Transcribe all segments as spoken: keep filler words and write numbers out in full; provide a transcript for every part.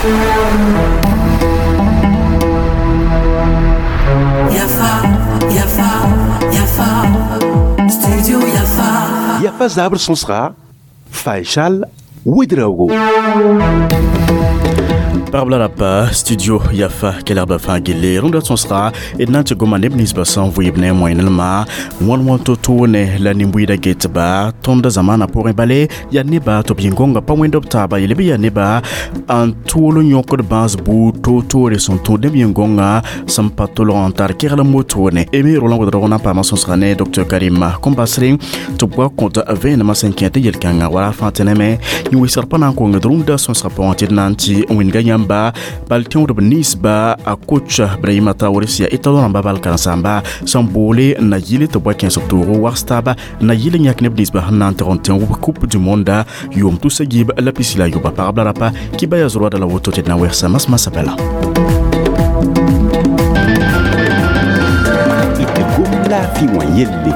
Yafa, Yafa, Yafa, Studio Yafa. Yafa zabr sõsga Faisal Ouedraogo. Pagb la rapa studio Yafa kelgba fãa gille rũndã sõsga d na n tɩ goma neb ninsbã sẽn vɩɩb ne moẽnelmã wãn wãn to-toone la nin-buiidã getba tõnd zamaanã pʋgẽ bale yaa neba tɩ b yĩn-gõngã pa wẽnd b taaba yel bɩ yaa neba n tʋʋl n yõkd bãas buud to-toore sẽn tũud neb yĩn-gõngã sẽn pa tolg n tar kegl n motone emi Roland Ouedraogo na n paama sõsga ne Docteur Karim Kombasre tɩ b wa kõt vẽenemã sẽn kẽ tɩ yel-kãngã wala fãa tɩ neme yĩn-wɩsgr pa na n kongd rũndã sõsga pʋgẽ tɩ d na n tɩ wĩnga yãmb ba bal tẽodb ninsba a coach Brahima Traoré sẽn yaa étalon rãmba bal karen-saamba sẽn boole n na yɩl tɩ b wa kẽes b toogo wags taaba n na yɩl n yãk neb ninsba sẽn na n tɩg n tẽ Coupe du monde yʋʋm tusa yiib la pisi la yoba pagb la rapa kibaya zroada la woto tɩ d na wɛgsa masmasã bala. Laafɩ wã yelle.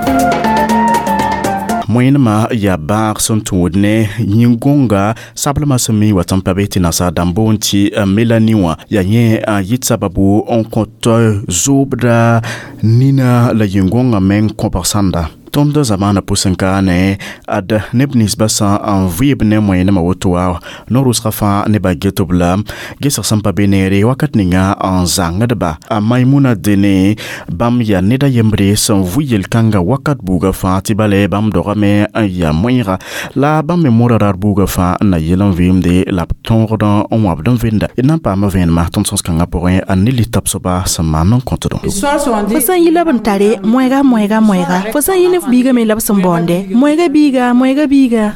Moẽnemã yaa bãag sẽn tũud ne yĩn-gõnga sablmã sẽn mi wa tɩ n pa be tɩ nasaar dãmb boond tɩ Mélanie wã yaa yẽ n yɩ sababu n kõt zoobda nina la yĩn-gõngã meng kõbg sãnda. Tõnd zamaanã pʋsẽ kaane ad neb ninsbã sã n vɩɩb ne moẽnemã woto wa no-rʋsgã fãa nebã get b la gesg sẽn pa be neere wakat ninga n zãngdba a Maimuna dene bãmb yaa ned a yembre sẽn vʋ yel-kãngã wakat buugã fãa tɩ bale bãmb dogame n yaa moẽega la bãmb me moora rar buugã fãa n na yel n vɩɩmde la b tõogd n wãbd n venda d na n paama vẽenemã tõnd sõs-kãngã pʋgẽ a ne litab soaba sẽn maan n kõtdõ. Fo sẽn yi la b n tare moɛɛga moɛɛga moɛɛga fo sẽn yi ne f biiga me la b sẽn baoonde moɛɛga biiga moɛɛga biiga.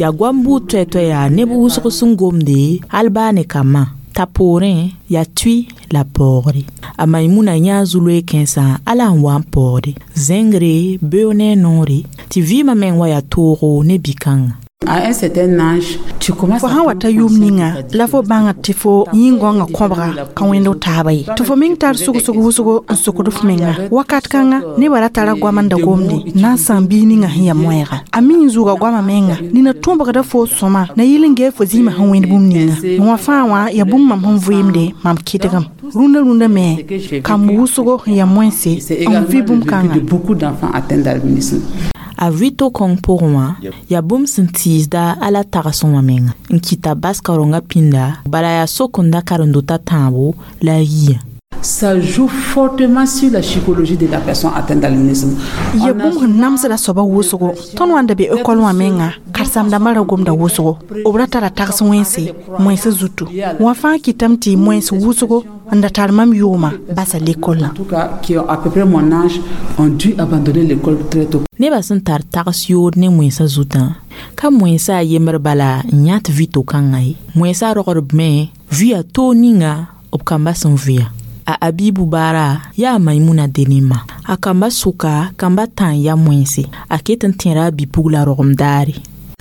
Yaa goam buud toɛ-toɛ yaa neb wʋsg sẽn gomde hal baa ne kambã t'a poorẽ yaa tui la paoogre a Maimuna yãa zu-loe kãensã ala n wa n paoode zẽngre beoog ne a noore tɩ vɩɩmã meng wa yaa toogo ne bi-kãngã. À un certain âge, tu commences fo sã n wa ta yʋʋm ninga la fo bãngd tɩ fo yĩn-gõngã kõbga ka wẽnd taaba ye tɩ fo meng tar sugsg wʋsgo n sokd f menga wakat kãnga nebã ra tara goam n da gomde na n sãam biig ninga sẽn yaa moɛɛga a mi n zʋʋga goamã menga nina tõbgda fo sõma na yɩl n gee fo zĩimã sẽn wẽnd bũmb ninga wã fãa wã yaa bũmb mam sẽn vɩɩmde mam kɩdgem rũndã rũndã me kamb wʋsgo sẽn yaa moẽnse n vɩ bũmb kãnga. Beaucoup d'enfants atteints d'albinisme. A vɩ to-kõng pʋgẽ wã yaa bũmb sẽn tiisda ala tags wã menga n kɩta bas kaorengã pĩnda bala yaa sok-n-da karen-dotã tãabo la a yiyã. Ça joue fortement sur la psychologie de la personne atteinte d'albinisme. Ya bũmb sẽn namsda soaba wʋsgo tõnd wã n da be ekɔl wã menga karen-saamdãmbã ra gomda wʋsgo b ra tara tags wẽnse moẽnsã zutu wã fãa kɩtame tɩ moẽns wʋsgo n da tar mam yʋʋmã basa l'école. En tout cas, qui ont à peu près mon âge, ont dû abandonner l'école très tôt. Nebã sẽn tar tags yood ne moẽnsã zutã ka moẽnsã a yembr bala n yã tɩ vɩ to-kãngã ye moẽnsã rogdb me vɩa toog ninga b kambã sẽn vɩa a Abibu baara yaa Maimuna dene ma a kamba sʋka kamba tã n ya moẽnse a ket n tẽra a bi-pugla rogem daare.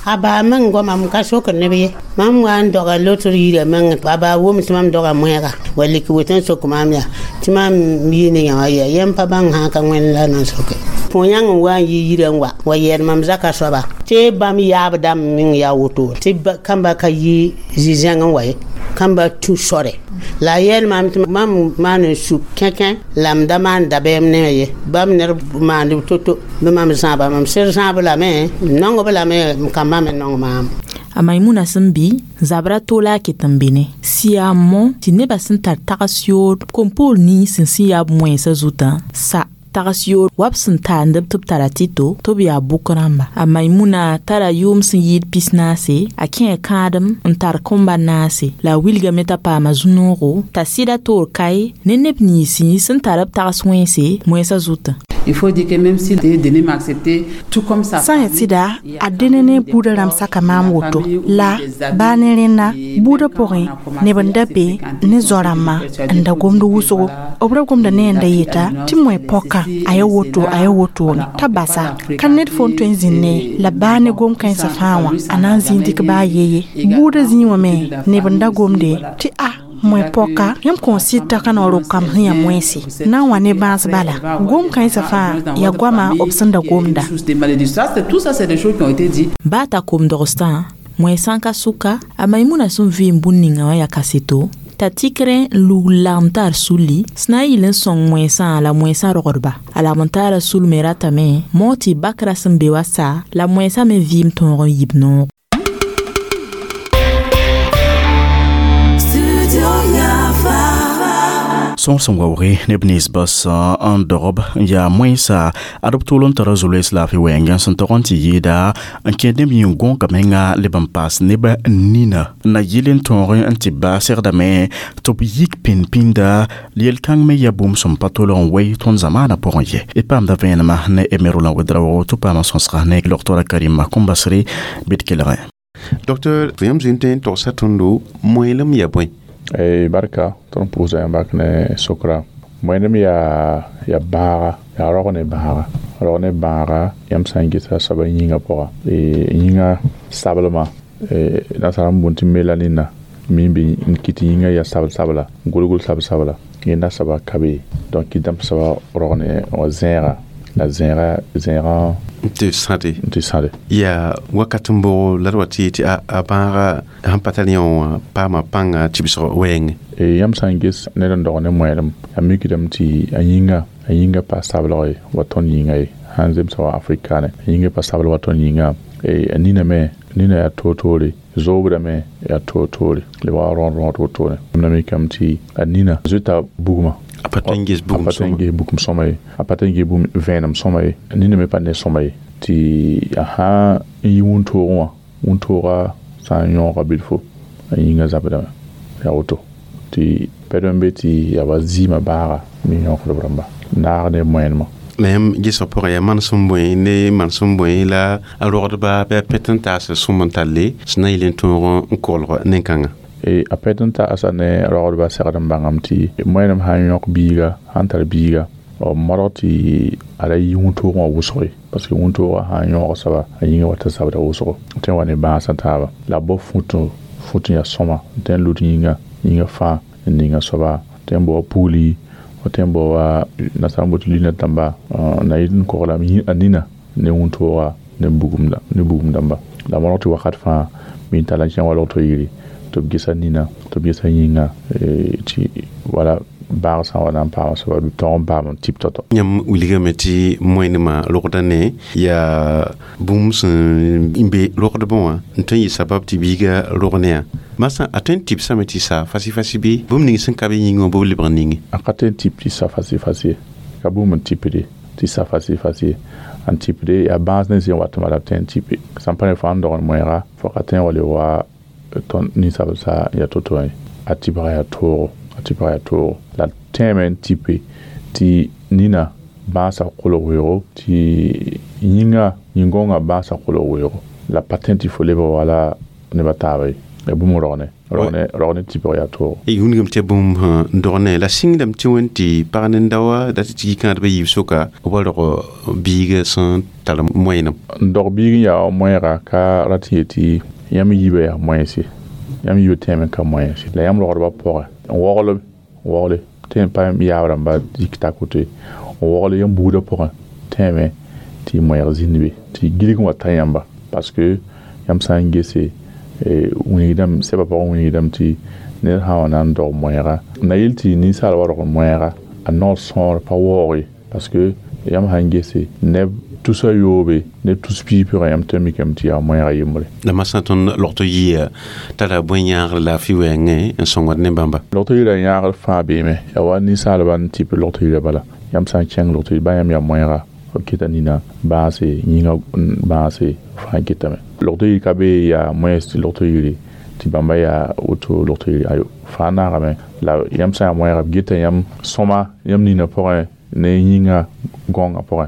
A baa meng goama m ka sokd neb ye mam wa n doga lotr yirã meng a baa wʋm tɩ mam doga moɛɛga wa lik woto n sok maam yaa tɩ mam yi ne yã wã yaa yẽmb pa bãng sã ka wẽnd la na n soke pʋ-yãng n wa n yi yirã n wa wa yɛɛd mam zaka soaba tɩ bãmb yaab dãmb meng yaa woto tɩ kambã ka yi zi-zẽng n wa ye kambã tũ sore la a yɛɛl maam tɩ mam maan n suk kẽkẽ la m da maan dabeem ne ye bãmb ned maand to-to bɩ mam zãaba mam sɩd zãab lame m nong-b lame m kambã me nong maam. A Maimuna sẽn bɩ zabra toola a ket n be ne sɩ yaa n mõ tɩ nebã sẽn tar tags yood kom-poor nins sẽn sẽn yaa b moẽnsã zutã sa tags yood wa b sẽn taandb tɩ b tara tɩto tɩ b yaa bʋk rãmba a Maimuna tara yʋʋm sẽn yɩɩd pis-naase a kẽe kãadem n tar kõmba naase la a wilgame t'a paama zu-noogo t'a sɩda toor kae ne neb ninsẽ sẽn tar b tags wẽnse moẽnsã zutã. Il faut dire que même si Déné m'a accepté, tout comme ça. Sã n yaa sɩda a dẽne ne buudã rãmb saka maam woto la baa ne rẽnna buudã pʋgẽ neb n da be ne zao-rãmbã n da gomd wʋsgo b ra gomda ne n da yeta tɩ moe pɔka a ya woto a ya wotone t'a basa ka ned fo n tõe n zĩnd ne la baa ne gom kãensã fãa wã a na n zĩig dɩk baa yeye buudã zĩig wã me neb n da gomde tɩ a moe pɔka yãmb kõn sɩd t'a ka naoor kamb sẽn yaa moẽse na n wa ne bãas bala gom kãensã fãa yaa goama b sẽn da gomda. Tout ça, c'est des choses qui ont été dites. Baa t'a kom-dogsdã Moɛsã ka sʋka a Maimuna sẽn vɩɩm bũn ninga wã yaa kaseto t'a tikrẽ n lugl lagem tar sulli sẽn na n yɩl n sõng moɛsã la moɛsã rogdba a lagm n taara sul me ratame moog tɩ bakra sẽn be wa sa la moɛsã me vɩɩm tõog n yib noog. Sõor sẽn waooge neb nins bas n dogb n yaa moẽsa ad b tʋʋl n tara zo-loees laafɩ wɛɛngã sẽn tog n tɩ yɩɩda n kẽed neb yĩng gõoga menga leb n paas neb nina na yɩl n tõog n tɩ baa segdame tɩ b yik pĩnd-pĩnda yel-kãng me yaa bũmb sẽn pa tolg n wei tõnd zamaanã pʋgẽ ye d paamda vẽenemã ne Emerolã Wedraoogo tɩ paama sõsga ne Doctora Karima Kõmbasre bɩ d kelgẽ. Docteur, yãmb zĩnd tõe n togsa tõndo moelem yaa bõe? Ei barka tõnd pʋʋsa yãmb bak ne sokra moenem yaa ya bãaga yaa rog ne bãaga rog ne bãaga yãmb sã n gesa soaba yĩngã pʋga yĩngã sablmã nasaar n bũnd tɩ melanina mi n be n kɩt yĩngã yaa sabl sabla golgol sabl sabla yẽnda soaba ka be donc kɩtame soaba rog ne wa zẽega la zẽega zẽegã tɩ sãde tɩ sãde yaa wakat n boogo la d wa tɩ tɩ a bãaga sẽn pa tar yẽ wã paama pãnga tɩbsg wɛɛngẽ. Yãmb sã n ges ned n dog ne moɛɛlem a mikdame tɩ a yĩnga a yĩnga pa sablg ye wa tõnd yĩnga ye sãn zemsa wa afrikaane a yĩnga pa sabl wa tõnd yĩnga a nina me nina yaa toor-toore zoobda me yaa toor-toore lebg wa rõod-rõod wotone na mikame tɩ a nina zoeta bugmã a pa tõe n ges bugum a pa tõe n ges bugum sõma ye a pa tõe n ges bugum vẽenem sõma ye nina me pa ne sõma ye tɩ a sã n yi wũntoogẽ wã wũntooga sã n yõoga bilfo a yĩngã zabdame yaa woto tɩ pɛd n be tɩ yaa wa zɩɩmã baaga me yõkdb rãmba naag ne moɛɛnemã. La yãmb gesg pʋgẽ yaa manesem bõe ne manesem bõe la a rogdba bɩ a pɛt n taas sõm n talle sẽn na yɩl n tõog n kolg nen-kãngã. A pɛt n taasa ne rogdba segd n bãngame tɩ moɛɛnem sã n yõk biiga sãn tar biiga b modg tɩ a ra yi wũntoogẽ wã wʋsg ye parce que wũntoogã sã n yõog soaba a yĩngã wa tɩ zabda wʋsgo tõe n wa ne bãasã taaba la b bao fũt fũt n yaa sõma n tõe n lut yĩnga yĩnga fãa n ninga soaba tõe n bao wa pugli tõe n bao wa nasaar n bot lunette dãmba na yɩl n kogla a nina ne wũntooga ne bugum ne bugum dãmba la modg tɩ wakat fãa mi n tall n kẽng wa logto yiri tɩ b gesa nina tɩ b gesa yĩnga tɩ wala baag sã n wa na n paama soaba b tõog n paam n tɩp tao-tao. Yãmb wilgame tɩ moẽnemã rogda ne yaa bũmb sẽn be rogdbẽ wã n tõe n yɩ sabab tɩ biiga rog ne yã masã a tõe n tɩbsame tɩ sa fasi-fasi bɩ bũmb ning sẽn ka be yĩngã wã bɩ b lebg n ninge. A ka tõe n tɩp tɩ sa fasi-fasi ye ka bũmb n tɩpde tɩ sa fasi-fasi ye n tɩpde yaa bãas ne zẽ watẽma la b tõe n tɩpe sãn pa ne fo sãn dogd moɛɛga fo ka tõe n wa le wa tõnd ninsabl sa yaa to-to ye a tɩbga yaa toogo a tɩbga yaa toogo la tẽeme n tɩpe tɩ nina bãasa kolg weoogo tɩ yĩnga yĩn-gõngã bãasa kolg weoogo la pa tõe tɩ fo lebg wala nebã taaba ye ya bũmb rogne rogne rogne tɩbg yaa toogo. Wilgame tɩ bũmb n dog ne la sɩngdame tɩ wẽn tɩ pag nin-daoã dat tɩ yikãadbã yiib soka b wa rog biiga sẽn tar moɛɛnem. N dog biig n yaa moɛɛga ka rat n yetɩ yãmb yiibã yaa moɛɛse yãmb yiibã tẽeme ka moɛɛse la yãmb rogdbã pʋgẽ n wogl n wogle tõe n pa yaab rãmba yik tak woto ye n wogl yãmb buudã pʋgẽ tẽeme tɩ moɛɛg zĩnd be tɩ gilg n wa ta yãmba parce que yãmb sã n gese wilgdame sɛbã pʋgẽ wilgdame tɩ ned sã n wa na n dog moɛɛga na yel tɩ ninsaal wa rog moɛɛga a naoor sõor pa waoog ye parce que yãmb sã n gese neb tusa yoobe neb tus piig pʋgẽ yãmb tõe n mikame tɩ yaa moɛɛga yembre. La masã tõnd logto yia tara bõe yãagr laafɩ wɛɛngẽ n sõngd ne bãmba. Logto yirã yãagr fãa beeme yaa wa ninsaalbã n tɩp logto yirã bala yãmb sã n kẽng logto yir bã yãmb yaa moɛɛga b keta nina bãase yĩngã bãase fãa ketame logto yir ka be yaa moɛɛs tɩ logto yiri tɩ bãmba yaa woto logto yiri ayo fãa naagame la yãmb sã n yaa moɛɛga b geta yãmb sõma yãmb nina pʋgẽ ne yĩngã gõngã pʋgẽ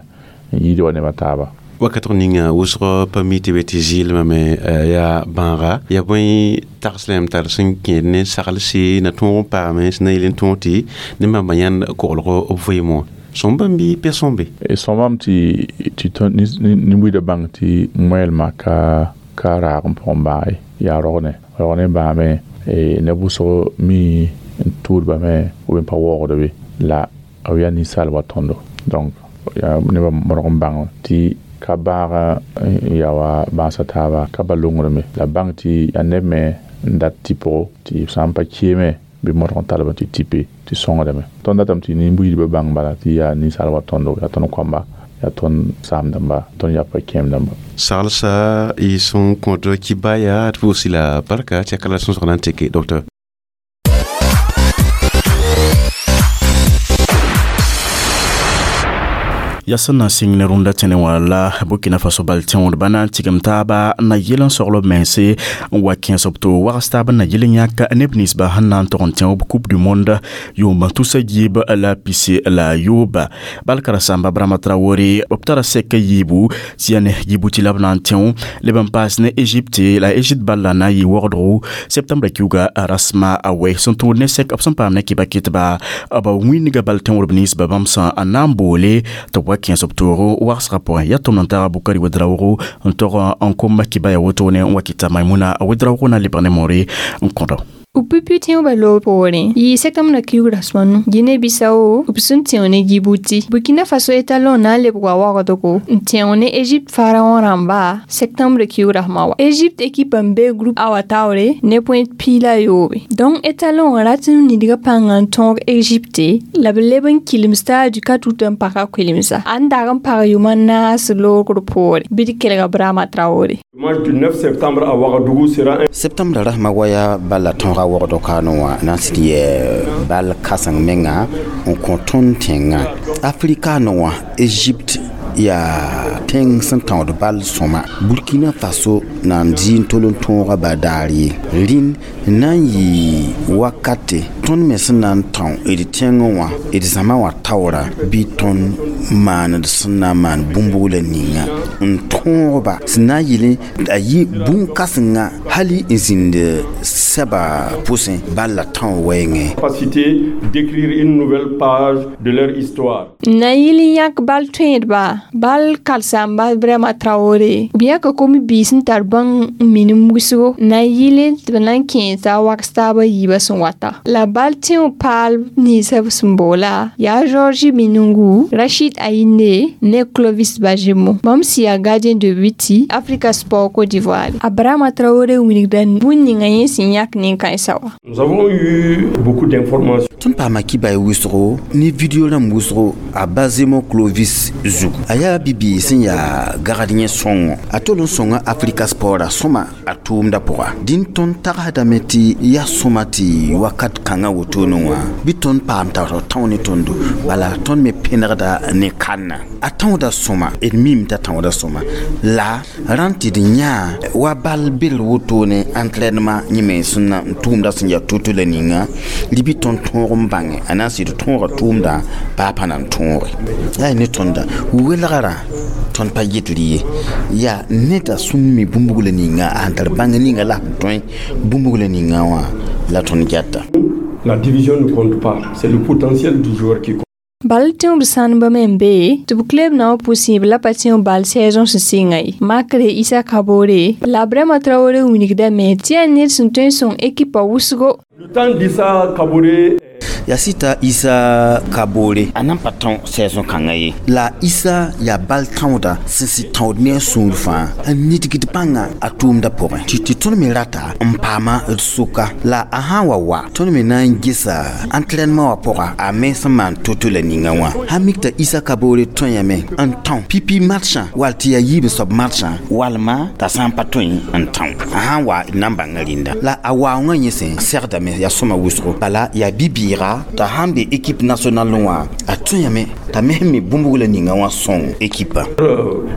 n yɩɩd wa nebã taaba. Wakat ninga wʋsg pa mi tɩ be tɩ zɩɩlmame yaa bãaga yaa bõe tags la yãmb tar sẽn kẽed ne saglse na tõog n paame sẽn na yɩl n tõog tɩ ne bãmba yãnd koglg b vɩɩm wã sõmbame bɩ pɛ sõmbe. Sõmame tɩ tɩ nin-buidã bãng tɩ moɛɛlmã ka ka raag n pʋgẽ bãag ye yaa rogne rogne bãame neb wʋsg mi n tʋʋdbame b pa waoogd be la b yaa ninsaal wa tõndo donc yaa nebã modg n bãng tɩ Ka bãag n ya wa bãasa taaba ka ba longrme la bãng tɩ yaa neb me n dat tɩpgo tɩ b sã n pa keeme bɩ modg n talb tɩ tipe tɩ sõngdame. Tõnd datame tɩ nin-buiidbã bãng bala tɩ yaa ninsaal wa tõndo, yaa tõnd koamba, yaa tõnd saam-dãmba, tõnd yapa kẽem-dãmba. Saglsa y sẽn kõt kibaya tɩ pʋʋs la barka tɩ ya ka la sõsg na n teke docteur. Ya sẽn na n sɩng ne rũndã tẽne wã la Burkina Faso bal tẽodba na n tigem taaba na yɩl n sogl b mense n wa kẽes b to wags taab n na yɩl n yãk neb ninsba sẽn na n tog n tẽ b Coupe du Monde yʋʋm tusa yiib la pisi la yooba. Bal karen-saamba Brama Traoré b tara sɛk yiibu tɩ yaa ne Djibouti la b na n tẽ leb n paas ne Égypte la Égypte bal la na n yɩ wogdgo septembre kiuga rasma a wɛ sẽn tũud ne sɛk b sẽn paam ne kɩba kɩtba b wĩndga bal tẽodb ninsba bãmb sẽn n na n boole tɩ b wa kẽes b toogo wagsgã pʋgẽ. Yaa tʋm n taga Bukari Wedraogo n tog n kom kɩba ya wotone n wa kɩta Maimuna Wedraogo na lebg ne moore n kõdo. B pipi tẽobã loog poorẽ yɩ septembre kiug rasmanu Guinée-Bissau b sẽn tẽo ne Djibouti. Burkina Faso étalon na n lebg wa wagdgo n tẽo ne Égypte pharaon rãmba septembre kiug rasma wa. Égypte équipe n be groupe A wa taoore ne point piig la yoobe. Donc étalon rat n nidga pãnga n tõog Égypte la b leb n kilem stade du quatre août n paka koelemsa. A n dag n pag yʋm n naas loogr poore bɩ d kelga Brama Traoré. Match du neuf septembre à Ouagadougou sera un septembre rasma waya bala tõoga wogdo kaano wã na n sɩd yɛ bal kãseng menga n kõ tõnd tẽngã Afrikaano wã Égypte yaa tẽng sẽn tãood bal sõma. Burkina Faso na n dɩ n tol n tõoga ba daar ye rĩnd na n yɩ wakate tõnd me sẽn na n tão d tẽngẽ wã d zãma wã taoora bɩ tõnd maand sẽn na n maan bũmb-bugla ninga n tõogba sẽn na n yɩl a yɩ bũn-kãsenga hali n zĩnd sɛba pʋsẽ bal la tão wɛɛngẽ. Capacité d'écrire une nouvelle page de leur histoire. Na yɩl n yãk bal tõedba bal kalsamba Brama Traoré b yãka kom-biis n tar bãng n minim wʋsgo na yɩl tɩ b na n kẽesa wags taabã yiibã sẽn wata. La bal tẽo paal ninsã b sẽn boola yaa Georgi Minungu, Rachid Aine ne Clovis Bajemo. Bãmb sɩ yaa gardien de but Africa Sport Côte d'Ivoire. A Brama Traoré wilgda bũn ninga yẽ sẽn yãk nin-kãensã wã. Nous avons eu beaucoup d'informations. Tõnd paama kibay wʋsgo ne video rãmb wʋsgo a Bazemo Clovis zugu. A yaa bibiig sẽn yaa gagd yẽ sõngo a tol n sõnga Africa Sport a sõma a tʋʋmdã pʋga. Dĩn tõnd tagsdame tɩ yaa sõma tɩ wakat kãngã wotone wã bɩ tõnd paam t'a tão ne tõndo bala tõnd me pẽnegda ne kanna. A tãooda sõma d mim t'a tãooda sõma la rãnd tɩ d yãa wa bal bel wotone entraînement yẽ me sẽn na n tʋʋmda sẽn yaa to-to la ninga rɩ bɩ tõnd tõog n bãnge a na n sɩd tõoga tʋʋmdã baa pa na n tõoge. Yaa ne tõnda welgrã tõnd pa yetr ye yaa neda sẽn mi bũmb-bugla ninga a sẽn tar bãng ninga la sẽn tõe bũmb-bugla ninga wã la tõnd gɛta. La division ne compte pas, c'est le potentiel du joueur qui compte. Bal tẽob sãneba me n be tɩ b kleb na wã pʋsẽeb la pa tẽo bal saison sẽn sɩnga ye. Makre Issa Kabore la Brama Traoré wilgdame tɩ yaa ned sẽn tõe n sõng ekipa wʋsgo. Le temps d'Issa Kabore yaa sɩta Issa Kabore a nan pa tão saison kãngã ye la Issa yaa bal tãooda sẽn sɩd tãood ne a sũur fãa n nidgd bãnga a tʋʋmdã pʋgẽ tɩ tɩ tõnd me rata n paama d sʋka la a sã n wa wa tõnd me na n gesa entraînement wã pʋga a me sẽn maan to-to la ninga wã sã mik t'a Issa Kabore tõe yame n tão pipi matchã wall tɩ yaa yiib soab matchã walma t'a sã n pa tõe n tão a sã n wa d na n bãnga rĩnda la a waoongã yẽ sẽn segdame yaa sõma wʋsgo bala yaa bi-bɩɩga t'a sãn be équipe nationale wã a tõe yame t'a me sẽn mi bũmb-bugla ninga wã sõng équipe.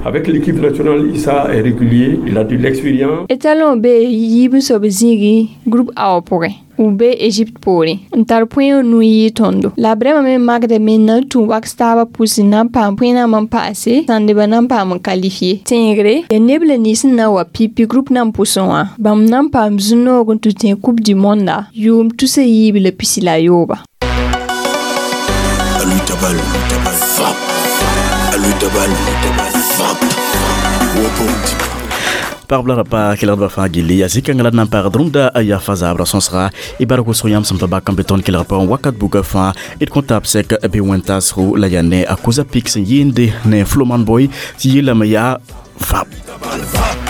Avec l'équipe nationale, Issa est régulier, il a de l'expérience. Étalon be yiib n soab zĩigi groupe A wã pʋgẽ. B be Égypte poorẽ n tar põe nu yɩ tõndo. La Brama me makdame n na n tũ waks taabã pʋsẽ na n paam põe-nambã n paase sãndbã na n paam n qualifié. Tẽegre yaa neb la nins sẽn na n wa pipi groupe nan pʋsẽ wã bãmb na n paam zu-noog n tɩ tẽ Coupe du Monde yʋʋm tusa yiib la pisi la yooba. Alutabal, frappe. Alutabal, frappe. Pagb la rapa kelgdbã fãa gilli yaa zĩ-kãngã la d na n paagd rũmda yafa zabrã sõsga y bark wʋsg yãmb sẽn pa bak n be tõnd kelg pʋgẽ wakat buka fãa d kõn tab sɛk bɩ wẽn-taasgo la yaa ne a kosa pik sẽn yɩɩnde ne Floman Boy tɩ yeelame yaa vap. Vap.